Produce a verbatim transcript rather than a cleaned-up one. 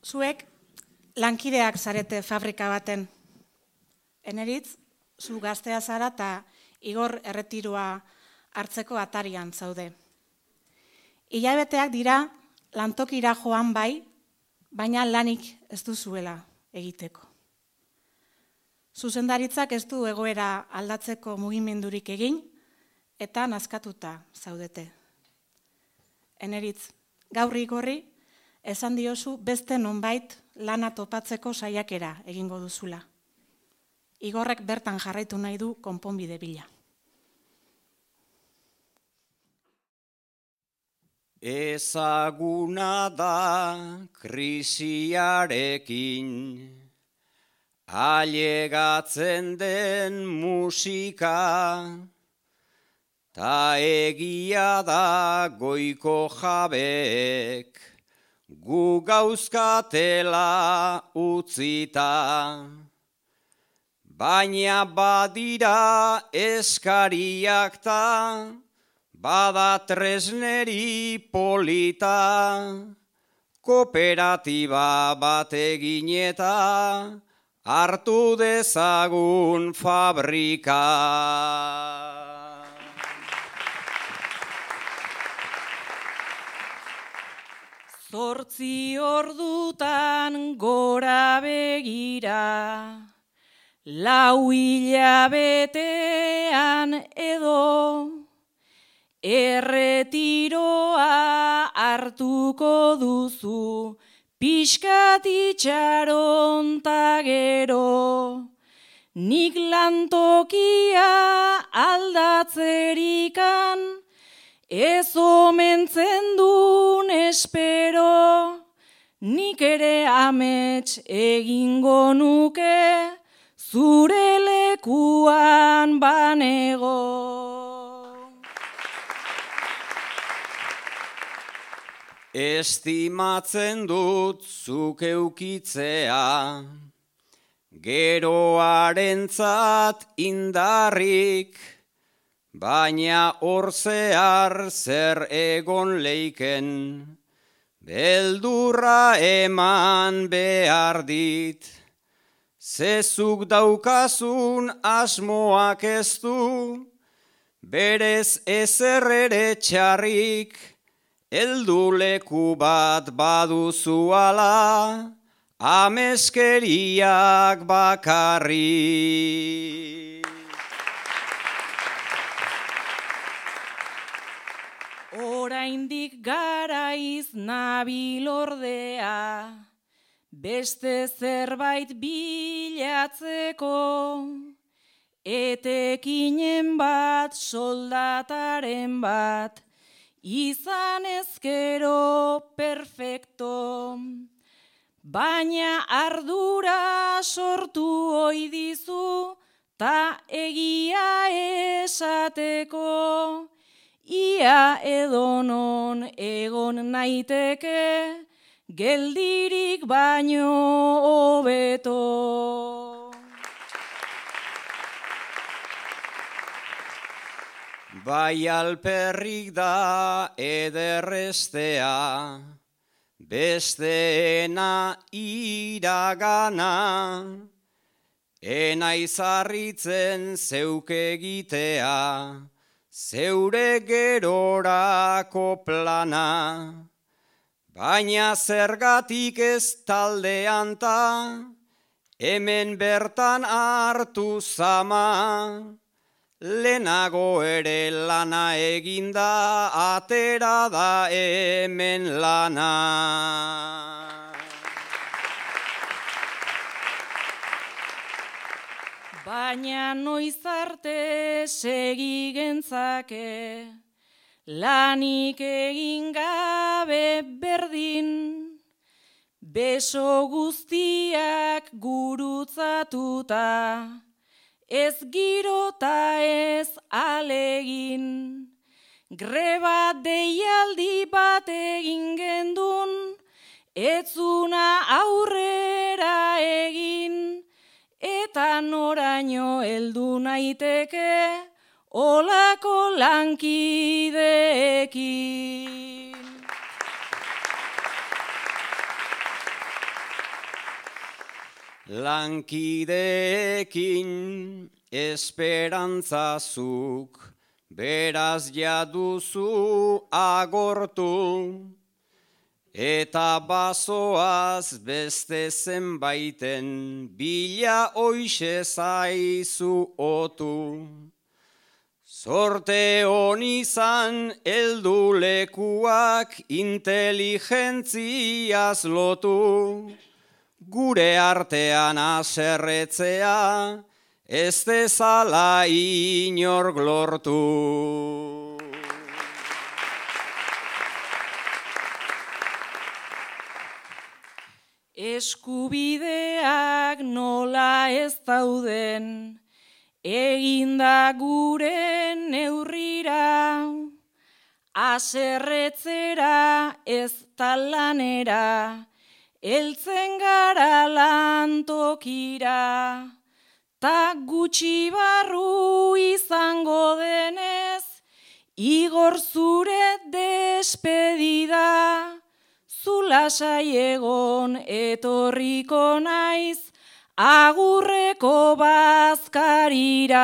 Zuek lankideak zarete fabrika baten. Eneritz, zu gaztea zara eta Igor erretiroa hartzeko atarian zaude. Hilabeteak dira lantokira joan bai, baina lanik ez duzuela egiteko. Zuzendaritzak ez du egoera aldatzeko mugimendurik egin eta nazkatuta zaudete. Eneritz, gaur Igorri esan diozu beste nonbait lana topatzeko saiakera egingo duzula. Igorrek bertan jarraitu nahi du konponbide bila. Ezaguna da krisiarekin ailegatzen den musika, ta egia da goiko jabeek gu gauzkatela utzita. Baina badira eskariak ta, bada tresneri polita, kooperatiba bat egin eta hartu dezagun fabrika. Zortzi ordutan gora begira, lau hilabetean edo, erretiroa hartuko duzu, pixkat itxaron ta gero. Nik lantokia aldatzerikan, ez omentzen dun espero, nik ere amets egingo nuke, zure lekuan banego. Estimatzen dut zuk eukitzea, geroarentzat indarrik, baina hor zehar zer egon leiken, beldurra eman behar dit. Zezuk daukazun asmoak ez du, berez ezer ere txarrik, heldu leku bat baduzu ala, ameskeriak bakarrik. Oraindik garaiz nabil ordea, beste zerbait bilatzeko, etekinen bat, soldataren bat, izan ezkero perfecto. Baina ardura sortu ohi dizu, ta egia esateko, ia edonon egon naiteke, geldirik baino hobeto. Bai alperrik da ederrestea, besteena iragana, enaiz harritzen zeuk egitea, zeure gerorako plana. Baina zergatik ez taldean ta, hemen bertan hartu zama, lehenago ere lana eginda, atera da hemen lana. Baina noiz arte segi gentzake, lanik egin gabe berdin, beso guztiak gurutzatuta, ez girota ez alegin. Greba deialdi bat egin gendun, etzuna aurrera egin, eta noraino heldu naiteke, olako lankideekin. Lankideekin esperantzazuk, beraz jaduzu agortu, eta bazoaz beste zenbaiten bila hoixe zaizu otu. Zorte honi izan heldu lekuak inteligentziaz lotu, gure artean aserretzea ez dezala inork lortu. Eskubideak nola ez dauden, eginda gure neurrira, aserretzera ez talanera, heltzen gara lantokira, ta gutxi barru izango denez, igor zure despedida, zu lasai egon etorriko naiz, agurreko bazkarira.